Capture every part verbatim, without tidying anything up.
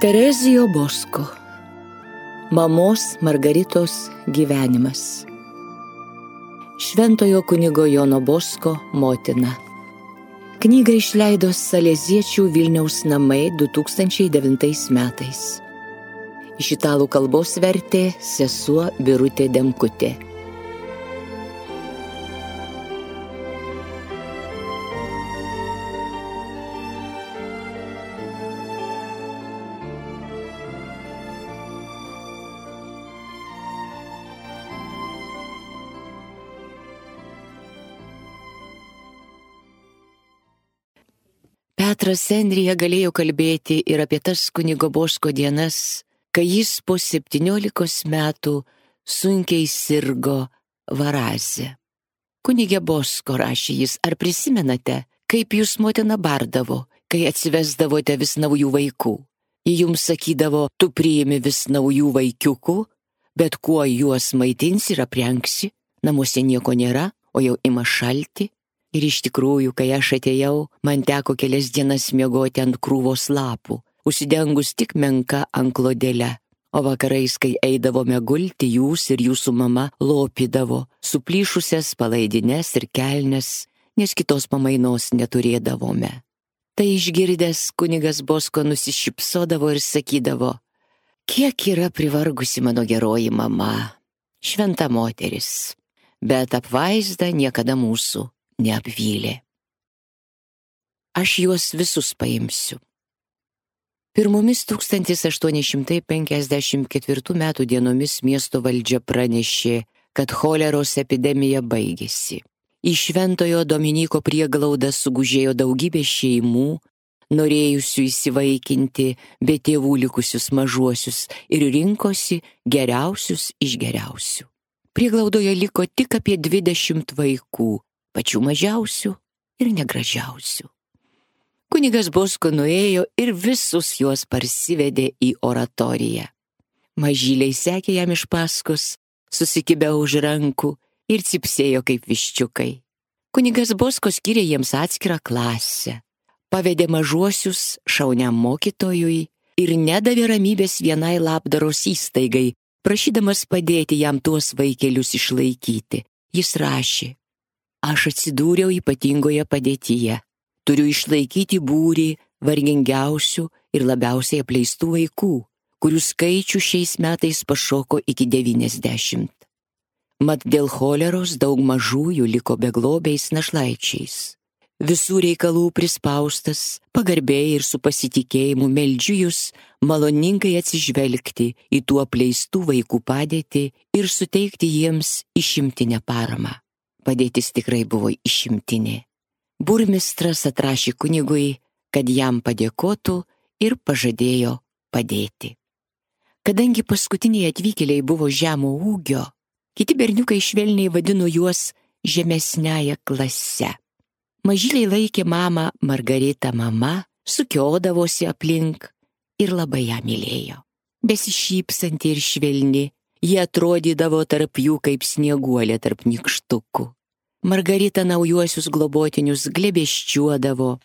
Terezijo Bosko. Mamos Margaritos gyvenimas. Šventojo kunigo Jono Bosko motina. Knygą išleido Saleziečių Vilniaus namai du tūkstančiai devintais metais. Iš italų kalbos vertė sesuo Birutė Demkutė. Petras Endrija galėjo kalbėti ir apie tas kunigo Bosko dienas, kai jis po septyniolikos metų sunkiai sirgo varazė. Kunige Bosko, rašė jis, ar prisimenate, kaip jūs motina bardavo, kai atsivesdavote vis naujų vaikų? Ji jums sakydavo, tu priimi vis naujų vaikiukų, bet kuo juos maitinsi ir aprengsi, namuose nieko nėra, o jau ima šalti. Ir iš tikrųjų, kai aš atėjau, man teko kelias dienas miegoti ant krūvos lapų, užsidengus tik menka anklodėle. O vakarais, kai eidavome gulti, jūs ir jūsų mama lopydavo suplyšusias palaidines ir kelnes, nes kitos pamainos neturėdavome. Tai išgirdęs kunigas Bosko nusišypsodavo ir sakydavo, kiek yra privargusi mano geroji mama, šventa moteris, bet apvaizda niekada mūsų neapvylė. Aš juos visus paimsiu. Pirmomis tūkstantis aštuoni šimtai penkiasdešimt ketvirtų metų dienomis miesto valdžia pranešė, kad choleros epidemija baigėsi. Į Šventojo Dominyko prieglaudą sugužėjo daugybė šeimų, norėjusių įsivaikinti be tėvų likusius mažuosius ir rinkosi geriausius iš geriausių. Prieglaudoje liko tik apie dvidešimt vaikų, pačių mažiausių ir negražiausių. Kunigas Bosko nuėjo ir visus juos parsivedė į oratoriją. Mažyliai sekė jam iš paskos, susikibę už rankų ir cipsėjo kaip viščiukai. Kunigas Bosko skyrė jiems atskirą klasę, pavedė mažuosius šauniam mokytojui ir nedavė ramybės vienai labdaros įstaigai, prašydamas padėti jam tuos vaikelius išlaikyti. Jis rašė, aš atsidūriau ypatingoje padėtyje. Turiu išlaikyti būrį vargingiausių ir labiausiai apleistų vaikų, kurių skaičių šiais metais pašoko iki devyniasdešimt. Mat dėl choleros daug mažųjų liko beglobiais našlaičiais. Visų reikalų prispaustas, pagarbiai ir su pasitikėjimu meldžiu jūs maloningai atsižvelgti į tų apleistų vaikų padėtį ir suteikti jiems išimtinę paramą. Padėtis tikrai buvo išimtinė. Burmistras atrašė kunigui, kad jam padėkotų ir pažadėjo padėti. Kadangi paskutiniai atvykėliai buvo žemo ūgio, kiti berniukai švelniai vadino juos žemesniąja klase. Mažyliai laikė mamą Margaritą mama, sukiodavosi aplink ir labai ją mylėjo. Besišypsanti ir švelni, jie atrodydavo tarp jų kaip snieguolė tarp nykštukų. Margarita naujuosius globotinius glėbesčiuodavo,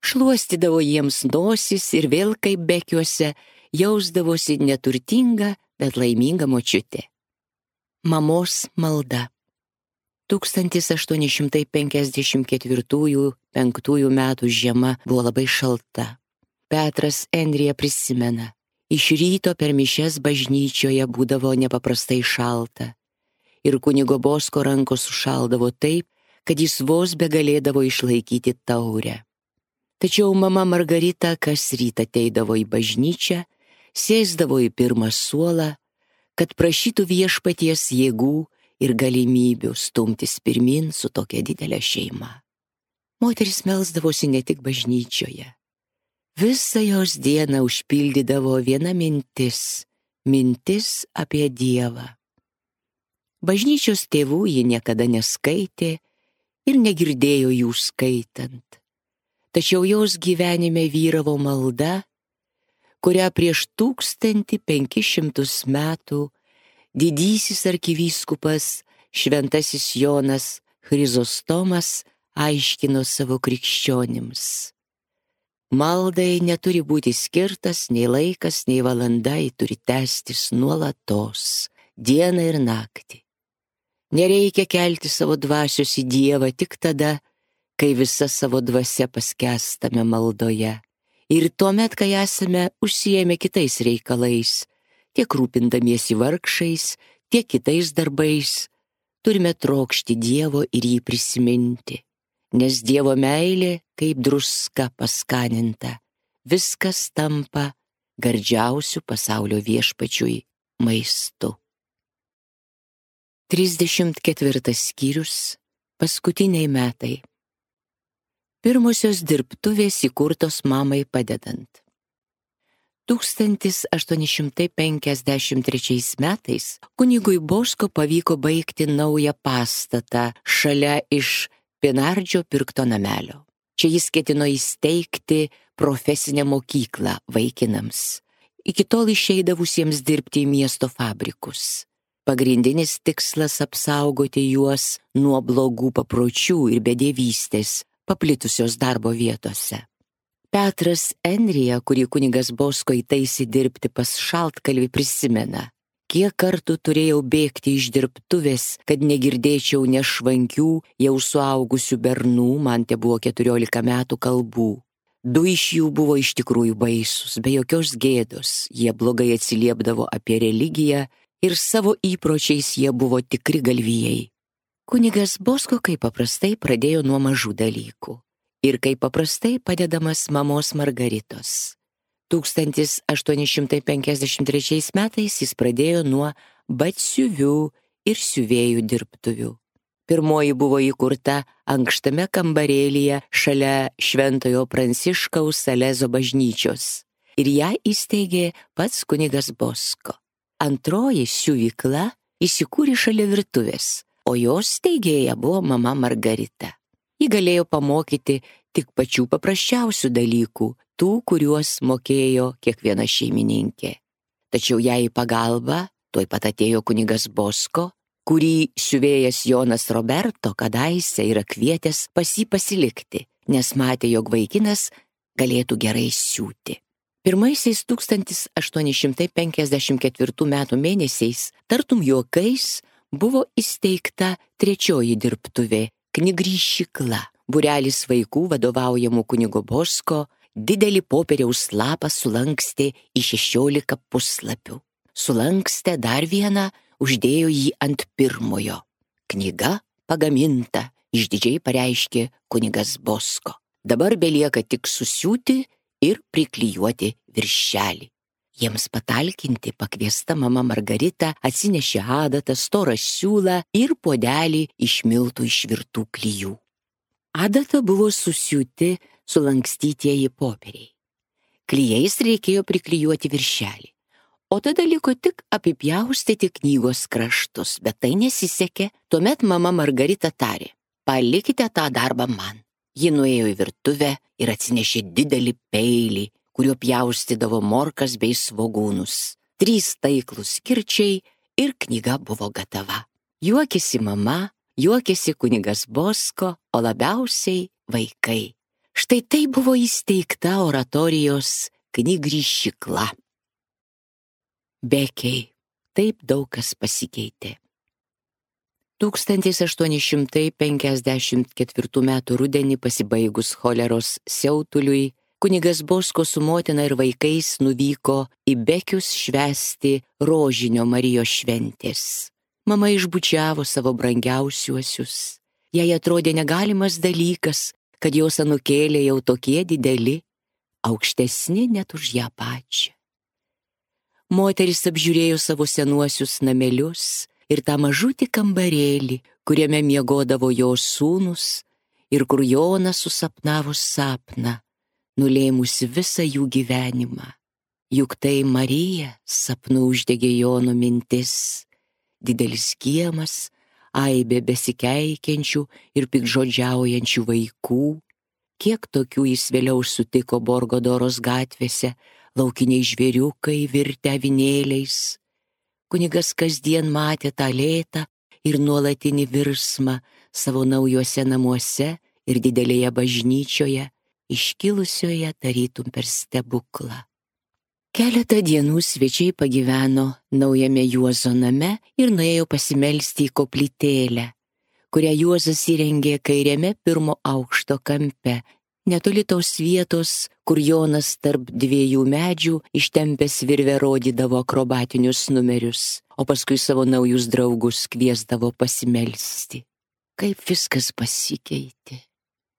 šluostydavo jiems nosis ir vėl kaip bekiuose jausdavosi neturtinga, bet laiminga močiutė. Mamos malda. tūkstantis aštuoni šimtai penkiasdešimt ketvirtųjų penktųjų metų žiema buvo labai šalta. Petras Endrija prisimena, iš ryto per mišias bažnyčioje būdavo nepaprastai šalta. Ir kunigo Bosko rankos sušaldavo taip, kad jis vos begalėdavo išlaikyti taurę. Tačiau mama Margarita kas rytą ateidavo į bažnyčią, sėsdavo į pirmą suolą, kad prašytų viešpaties jėgų ir galimybių stumtis pirmin su tokia didelė šeima. Moteris melsdavosi ne tik bažnyčioje. Visą jos dieną užpildydavo viena mintis, mintis apie Dievą. Bažnyčios tėvų ji niekada neskaitė ir negirdėjo jų skaitant. Tačiau jos gyvenime vyravo malda, kurią prieš tūkstantį penkis šimtus metų didysis arkivyskupas šventasis Jonas Chrizostomas aiškino savo krikščionims. Maldai neturi būti skirtas nei laikas, nei valanda, ji turi tęstis nuolatos, dieną ir naktį. Nereikia kelti savo dvasios į Dievą tik tada, kai visa savo dvasia paskęstame maldoje. Ir tuomet, kai esame užsiėmę kitais reikalais, tiek rūpindamiesi vargšais, tiek kitais darbais, turime trokšti Dievo ir jį prisiminti. Nes Dievo meilė, kaip druska paskaninta, viskas tampa gardžiausiu pasaulio viešpačiui maistu. trisdešimt ketvirtas skyrius. Paskutiniai metai. Pirmosios dirbtuvės įkurtos mamai padedant. tūkstantis aštuoni šimtai penkiasdešimt trečiais metais kunigui Bosko pavyko baigti naują pastatą šalia iš Pinardžio pirkto namelio. Čia jis ketino įsteigti profesinę mokyklą vaikinams, iki tol išeidavusiems dirbti į miesto fabrikus. Pagrindinis tikslas apsaugoti juos nuo blogų papročių ir bedėvystės paplitusios darbo vietose. Petras Enrija, kurį kunigas Bosko įtaisė dirbti pas šaltkalvį, prisimena, kiek kartų turėjau bėgti iš dirbtuvės, kad negirdėčiau nešvankių, jau suaugusių bernų, man te buvo keturiolika metų, kalbų. Du iš jų buvo iš tikrųjų baisus, be jokios gėdos, jie blogai atsiliepdavo apie religiją ir savo įpročiais jie buvo tikri galvijai. Kunigas Bosko, kaip paprastai, pradėjo nuo mažų dalykų ir kaip paprastai padedamas mamos Margaritos. tūkstantis aštuoni šimtai penkiasdešimt trečiais metais jis pradėjo nuo batsiuvių ir siuvėjų dirbtuvių. Pirmoji buvo įkurta ankštame kambarėlyje šalia Šventojo Pranciškaus Salezo bažnyčios ir ją įsteigė pats kunigas Bosko. Antroji siuvykla įsikūrė šalia virtuvės, o jos steigėja buvo mama Margarita. Ji galėjo pamokyti tik pačių paprasčiausių dalykų, tų, kuriuos mokėjo kiekviena šeimininkė. Tačiau jai į pagalbą tuoj pat atėjo kunigas Bosko, kurį siuvėjas Jonas Roberto kadaise yra kvietęs pas jį pasilikti, nes matė, jog vaikinas galėtų gerai siūti. Pirmaisiais tūkstantis aštuoni šimtai penkiasdešimt ketvirtų metų mėnesiais, tartum juokais, buvo įsteigta trečioji dirbtuvė – knygryšykla. Būrelis vaikų vadovaujamų kunigo Bosko didelį popieriaus lapą sulankstė į šešiolika puslapių. Sulankstė dar vieną, uždėjo jį ant pirmojo. Knyga pagaminta, išdidžiai pareiškė kunigas Bosko. Dabar belieka tik susiūti ir priklijuoti viršelį. Jiems patalkinti pakviesta mama Margarita atsinešė adatą, storą siūlą ir puodelį iš miltų išvirtų klijų. Adata buvo susiūti sulankstytieji popieriai. Klijais reikėjo priklijuoti viršelį, o tada liko tik apipjaustyti knygos kraštus, bet tai nesisekė. Tuomet mama Margarita tarė, palikite tą darbą man. Ji nuėjo į virtuvę ir atsinešė didelį peilį, kuriuo pjaustydavo morkas bei svogūnus. Trys taiklūs kirčiai ir knyga buvo gatava. Juokėsi mama, juokėsi kunigas Bosko, o labiausiai vaikai. Štai tai buvo įsteigta oratorijos knygryšykla. Bekiai, taip daug kas pasikeitė. tūkstantis aštuoni šimtai penkiasdešimt ketvirtų metų rudenį pasibaigus choleros siautuliui, kunigas Bosko su motina ir vaikais nuvyko į Bekius švęsti Rožinio Marijos šventės. Mama išbučiavo savo brangiausiuosius. Jai atrodė negalimas dalykas, kad jos anūkėlė jau tokie dideli, aukštesni net už ją pačią. Moteris apžiūrėjo savo senuosius namelius ir tą mažutį kambarėlį, kuriame miegodavo jos sūnus ir kur Jonas susapnavo sapną, nulėmusi visą jų gyvenimą. Juk tai Marija sapnu uždegė Jono mintis, didelis kiemas, aibė besikeikiančių ir pikžodžiaujančių vaikų. Kiek tokių jis vėliau sutiko Borgodoros gatvėse, laukiniai žvėriukai virtę avinėliais. Kunigas kasdien matė tą lėtą ir nuolatinį virsmą savo naujuose namuose ir didelėje bažnyčioje, iškilusioje tarytum per stebuklą. Keletą dienų svečiai pagyveno naujame Juozo name ir nuėjo pasimelsti į koplytėlę, kurią Juozas įrengė kairiame pirmo aukšto kampe, netoli tos vietos, kur Jonas tarp dviejų medžių ištempęs virvę rodydavo akrobatinius numerius, o paskui savo naujus draugus kviesdavo pasimelsti. Kaip viskas pasikeitė.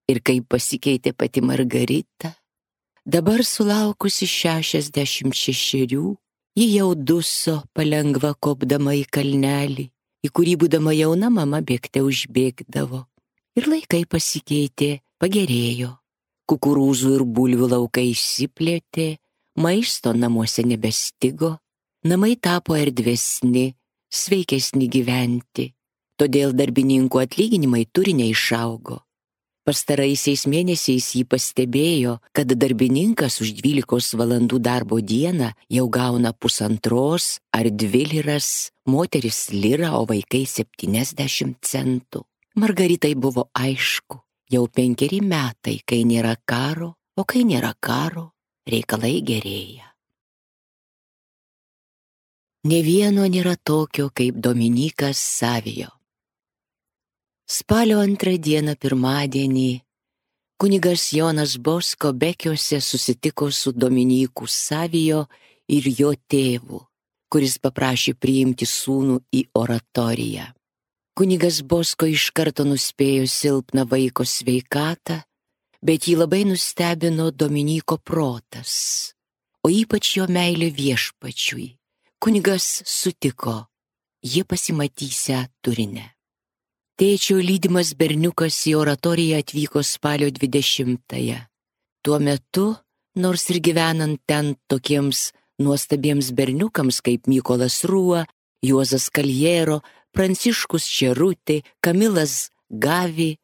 Ir kaip pasikeitė pati Margarita. Dabar sulaukusi šešiasdešimt šešerių, ji jau duso palengva kopdama į kalnelį, į kurį būdama jauna mama bėgte užbėgdavo. Ir laikai pasikeitė, pagerėjo. Kukurūzų ir bulvių laukai išsiplėtė, maisto namuose nebestigo, namai tapo erdvesni, sveikesni gyventi, todėl darbininkų atlyginimai turi neišaugo. Pastaraisiais mėnesiais jį pastebėjo, kad darbininkas už dvylikos valandų darbo dieną jau gauna pusantros ar dvi liras, moteris lirą, o vaikai septyniasdešimt centų. Margaritai buvo aišku, jau penkeri metai, kai nėra karo, o kai nėra karo, reikalai gerėja. Nė vieno nėra tokio kaip Dominykas Savijo. Spalio antrą dieną pirmadienį kunigas Jonas Bosko Bekiuose susitiko su Dominyku Savijo ir jo tėvu, kuris paprašė priimti sūnų į oratoriją. Kunigas Bosko iš karto nuspėjo silpną vaiko sveikatą, bet jį labai nustebino Dominyko protas, o ypač jo meilė viešpačiui. Kunigas sutiko, jie pasimatysią Turine. Tėčio lydimas berniukas į oratoriją atvyko spalio dvidešimtąją. Tuo metu, nors ir gyvenant ten tokiems nuostabiems berniukams kaip Mykolas Rūa, Juozas Kaljero, Pranciškus Čerutė, Kamilas Gavi,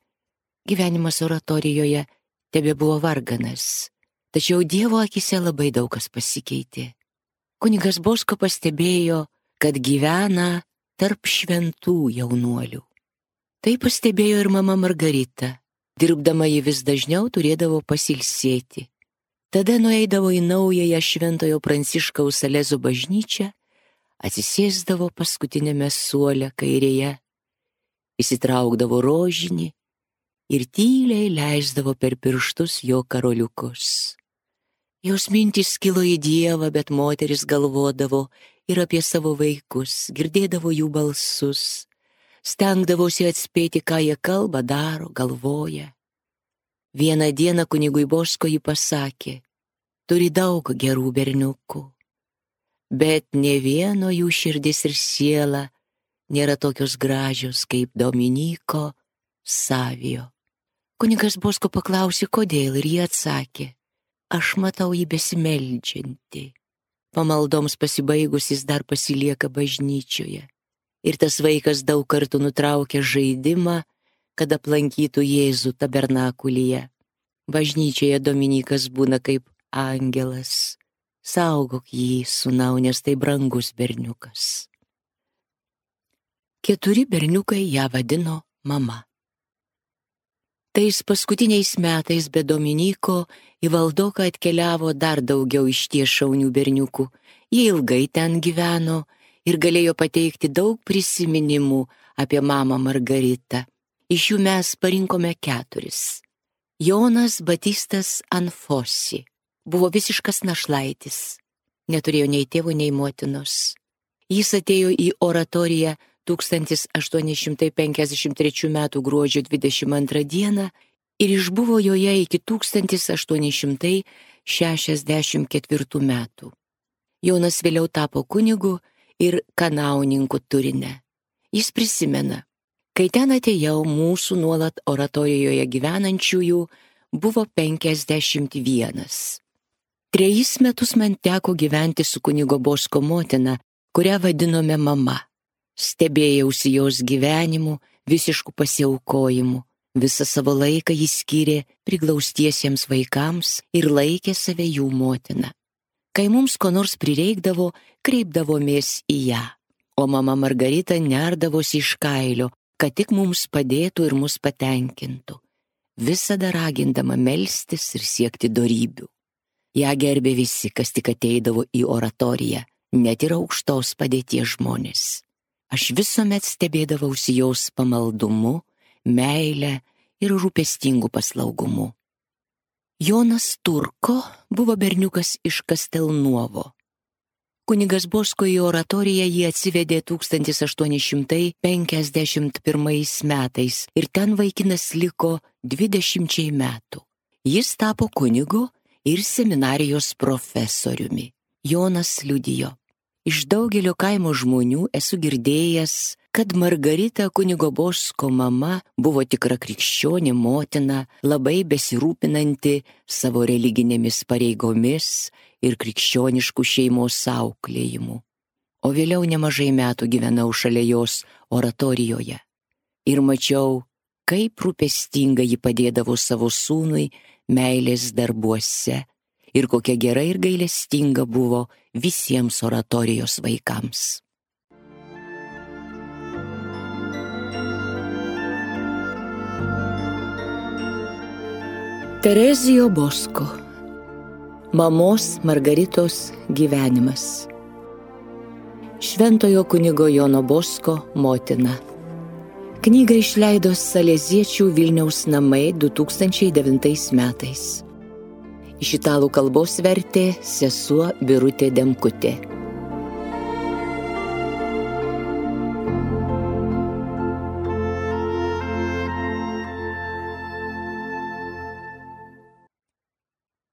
gyvenimas oratorijoje tebebuvo varganas. Tačiau Dievo akise labai daug kas pasikeitė. Kunigas Bosko pastebėjo, kad gyvena tarp šventų jaunuolių. Tai pastebėjo ir mama Margarita. Dirbdama ji vis dažniau turėdavo pasilsėti. Tada nueidavo į naująją Šventojo Pranciškaus Salezo bažnyčią, atsisėsdavo paskutinėme suole kairėje, įsitraukdavo rožinį ir tyliai leisdavo per pirštus jo karoliukus. Jos mintys kilo į Dievą, bet moteris galvodavo ir apie savo vaikus, girdėdavo jų balsus, stengdavosi atspėti, ką jie kalba, daro, galvoja. Vieną dieną kunigui Bosko ji pasakė, turi daug gerų berniukų, bet ne vieno jų širdis ir siela nėra tokios gražios kaip Dominyko Savijo. Kunigas Bosko paklausė, kodėl, ir jie atsakė, aš matau jį besimeldžiantį. Pamaldoms pasibaigus jis dar pasilieka bažnyčioje. Ir tas vaikas daug kartų nutraukia žaidimą, kad aplankytų Jėzų tabernakulyje. Bažnyčioje Dominykas būna kaip angelas. Saugok jį, sūnau, nes tai brangus berniukas. Keturi berniukai ją vadino mama. Tais paskutiniais metais be Dominyko į Valdoką atkeliavo dar daugiau išties šaunių berniukų. Jie ilgai ten gyveno ir galėjo pateikti daug prisiminimų apie mamą Margaritą. Iš jų mes parinkome keturis. Jonas Batistas Anfosi buvo visiškas našlaitis. Neturėjo nei tėvų, nei motinos. Jis atėjo į oratoriją tūkstantis aštuoni šimtai penkiasdešimt trečių metų gruodžio dvidešimt antrą dieną ir išbuvo joje iki tūkstantis aštuoni šimtai šešiasdešimt ketvirtų metų. Jonas vėliau tapo kunigu ir kanauninku Turine. Jis prisimena, kai ten atėjau, mūsų nuolat oratorijoje gyvenančiųjų buvo penkiasdešimt vienas. Trejus metus man teko gyventi su kunigo Bosko motina, kurią vadinome mama. Stebėjausi jos gyvenimu, visišku pasiaukojimu. Visą savo laiką jis skyrė priglaustiesiems vaikams ir laikė save jų motina. Kai mums ko nors prireikdavo, kreipdavomės į ją, o mama Margarita nerdavosi iš kailio, kad tik mums padėtų ir mus patenkintų. visada ragindama melstis ir siekti dorybių. Ja gerbė visi, kas tik ateidavo į oratoriją, net ir aukštos padėties žmonės. Aš visuomet stebėdavausi jos pamaldumu, meile ir rūpestingu paslaugumu. Jonas Turko buvo berniukas iš Kastelnuovo. Kunigas Bosko į oratoriją jį atsivedė tūkstantis aštuoni šimtai penkiasdešimt pirmais metais ir ten vaikinas liko dvidešimčiai metų. Jis tapo kunigu ir seminarijos profesoriumi. Jonas liudijo: iš daugelio kaimo žmonių esu girdėjęs, kad Margarita kunigo Bosko mama buvo tikra krikščionė motina, labai besirūpinanti savo religinėmis pareigomis ir krikščioniškų šeimos auklėjimu. O vėliau nemažai metų gyvenau šalia jos oratorijoje ir mačiau, kaip rūpestinga ji padėdavo savo sūnui meilės darbuose ir kokia gera ir gailestinga buvo visiems oratorijos vaikams. Terezijo Bosko. Mamos Margaritos gyvenimas. Šventojo kunigo Jono Bosko motina. Knygą išleido Saleziečių Vilniaus namai du tūkstančiai devintais metais. Iš italų kalbos vertė sesuo Birutė Demkutė.